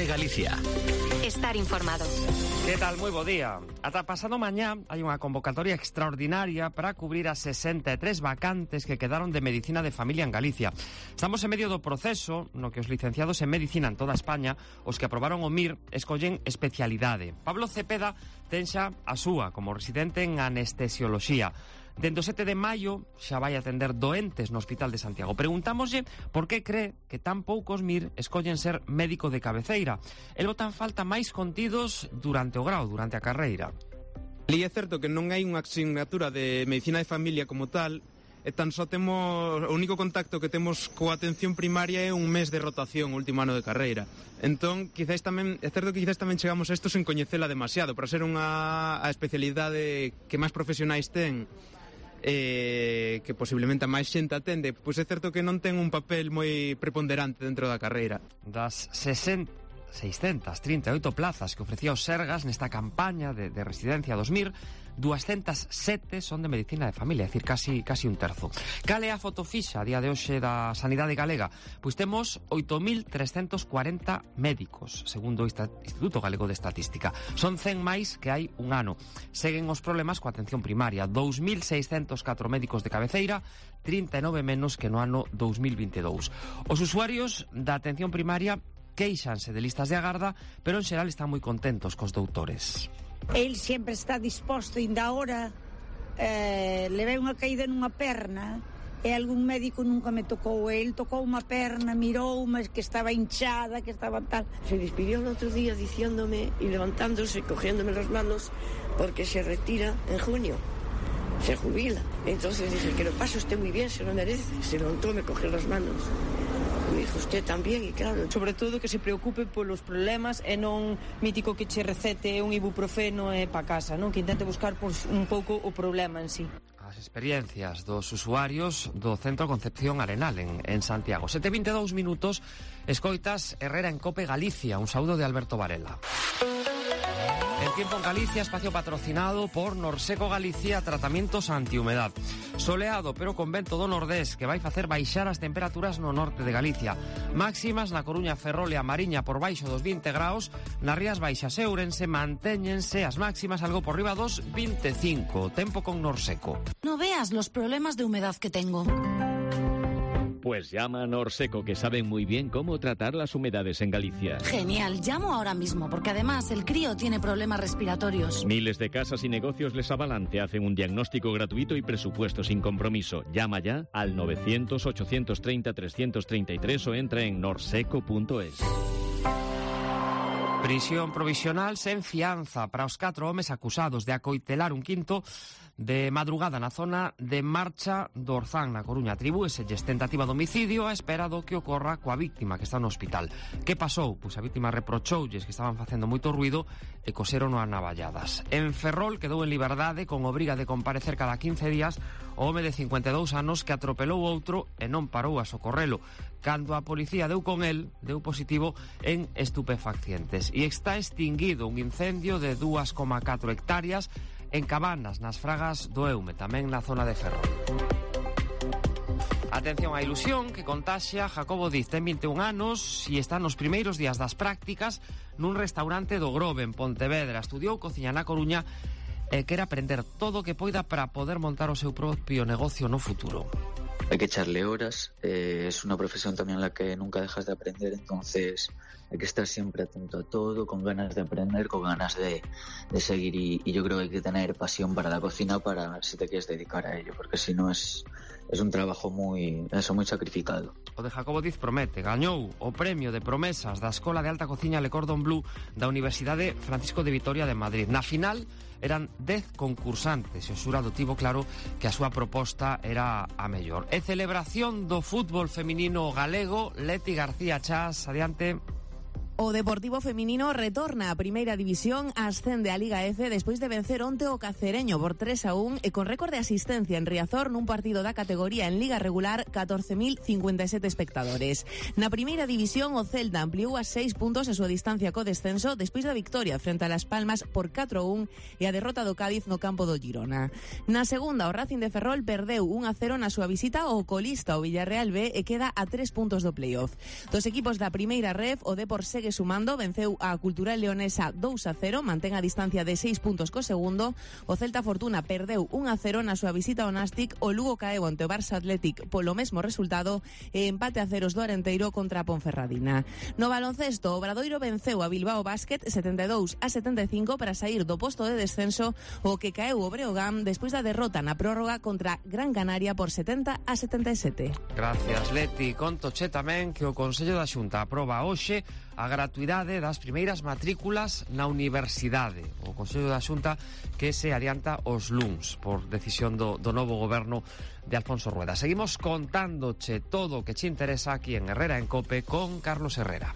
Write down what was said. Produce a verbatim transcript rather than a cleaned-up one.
Cope Galicia. Estar informado. Que tal? Moi bo día. Ata pasado mañá hai unha convocatoria extraordinaria para cubrir as sesenta e tres vacantes que quedaron de Medicina de Familia en Galicia. Estamos en medio do proceso no que os licenciados en Medicina en toda España, os que aprobaron o M I R, escollen especialidade. Pablo Cepeda ten xa a súa como residente en anestesioloxía. Dende o sete de maio xa vai atender doentes no Hospital de Santiago. Preguntámoslle por que cree que tan poucos M I R escollen ser médico de cabeceira. El botan falta máis contidos durante o grau, durante a carreira. E é certo que non hai unha asignatura de medicina de familia como tal, e tan só temos, o único contacto que temos coa atención primaria é un mes de rotación, último ano de carreira. Entón, quizáis tamén, é certo que quizáis tamén chegamos a isto sen coñecela demasiado, para ser unha a especialidade que máis profesionais ten, eh, que posiblemente a máis xente atende, pois é certo que non ten un papel moi preponderante dentro da carreira. Das sesenta, seiscentas trinta e oito plazas que ofrecía o Sergas nesta campaña de, de residencia dos M I R, duascentas sete son de medicina de familia, é dicir, casi, casi un terzo. Cal é a foto fixa a día de hoxe da sanidade galega? Pois temos oito mil trescentos cuarenta médicos, segundo o Instituto Galego de Estatística. Son cen máis que hai un ano. Seguen os problemas coa atención primaria. dous mil seiscentos catro médicos de cabeceira, trinta e nove menos que no ano dous mil vinte e dous. Os usuarios da atención primaria queixanse de listas de agarda, pero en xeral están moi contentos cos doutores. El sempre está disposto, ainda ahora eh, levei unha caída nunha perna e algún médico nunca me tocou. El tocou unha perna, mirou, mas que estaba hinchada, que estaba tal. Se despidió el otro día diciéndome y levantándose, cogiéndome las manos, porque se retira en junio, se jubila. Entonces dije, que lo pase usted muy bien, se lo merece. Se levantó, me cogió las manos. Me dijo, usted tamén, e claro. Sobre todo que se preocupe polos problemas e non mítico que che recete un ibuprofeno e pa casa, non? Que intente buscar pois, un pouco o problema en sí. As experiencias dos usuarios do Centro Concepción Arenal en, en Santiago. sete e vinte e dous minutos, escoitas Herrera en Cope Galicia. Un saúdo de Alberto Varela. El tiempo en Galicia, espacio patrocinado por Norseco Galicia, tratamientos antihumedad. Soleado, pero con vento do nordés, que vai facer baixar as temperaturas no norte de Galicia. Máximas na Coruña, Ferrol e a Mariña por baixo dos vinte graus, nas Rías Baixas e Ourense mantéñense as máximas algo por riba dos vinte e cinco. Tempo con Norseco. No veas los problemas de humedad que tengo. Pues llama a Norseco, que saben muy bien cómo tratar las humedades en Galicia. Genial, llamo ahora mismo, porque además el crío tiene problemas respiratorios. Miles de casas y negocios les avalan, te hacen un diagnóstico gratuito y presupuesto sin compromiso. Llama ya al novecientos, ochocientos treinta, trescientos treinta y tres o entra en norseco punto es. Prisión provisional sen fianza para os catro homes acusados de acoitelar un quinto de madrugada na zona de Marcha do Orzán, na Coruña. Atribúeselles tentativa de homicidio a espera do que ocorra coa víctima que está no hospital. Que pasou? Pois a víctima reprochoulles que estaban facendo moito ruido e coseron a navalladas. En Ferrol quedou en liberdade con obriga de comparecer cada quince días o home de cincuenta e dous anos que atropelou outro e non parou a socorrelo. Cando a policía deu con el, deu positivo en estupefacientes. E está extinguido un incendio de dúas coma catro hectáreas en Cabanas, nas Fragas do Eume, tamén na zona de Ferrol. Atención á ilusión que contaxia. Jacobo Diz ten vinte e un anos e está nos primeiros días das prácticas nun restaurante do Grove, en Pontevedra. Estudiou cociña na Coruña e quere aprender todo o que poida para poder montar o seu propio negocio no futuro. Hay que echarle horas, eh, es una profesión también en la que nunca dejas de aprender, entonces hay que estar siempre atento a todo, con ganas de aprender, con ganas de, de seguir y, y yo creo que hay que tener pasión para la cocina para si te quieres dedicar a ello, porque si no es, es un trabajo muy, eso, muy sacrificado. O de Jacobo Diz promete, gañou o premio de promesas da Escola de Alta Cociña Le Cordon Bleu da Universidade Francisco de Vitoria de Madrid. Na final eran dez concursantes e o xurado tivo claro que a súa proposta era a mellor. E celebración do fútbol feminino galego. Leti García Chas, adiante. O Deportivo Feminino retorna a Primeira División, ascende a Liga F despois de vencer onte o Cacereño por tres a un e con récord de asistencia en Riazor nun partido da categoría en Liga Regular, catorce mil cincuenta e sete espectadores. Na Primeira División o Celta ampliou a seis puntos a súa distancia co descenso despois da victoria frente a Las Palmas por catro a un e a derrota do Cádiz no campo do Girona. Na segunda o Racing de Ferrol perdeu un a cero na súa visita ao colista o Villarreal B e queda a tres puntos do playoff. Dos equipos da Primeira Ref, o Depor segue segue sumando, venceu a Cultural Leonesa dous a cero, mantén a distancia de seis puntos co segundo. O Celta Fortuna perdeu un a cero na súa visita ao Nástic. O Lugo caeu ante o Barça Athletic polo mesmo resultado e empate a ceros do Arenteiro contra a Ponferradina. No baloncesto, o Obradoiro venceu a Bilbao Basket setenta e dous a setenta e cinco para sair do posto de descenso, o que caeu o Breogán despois da derrota na prórroga contra Gran Canaria por setenta a setenta e sete. Gracias, Leti. Contoche tamén que o Consello da Xunta aproba hoxe a gratuidade das primeiras matrículas na universidade. O Consello da Xunta que se adianta os luns por decisión do, do novo goberno de Alfonso Rueda. Seguimos contándoche todo o que che interesa aquí en Herrera en Cope con Carlos Herrera.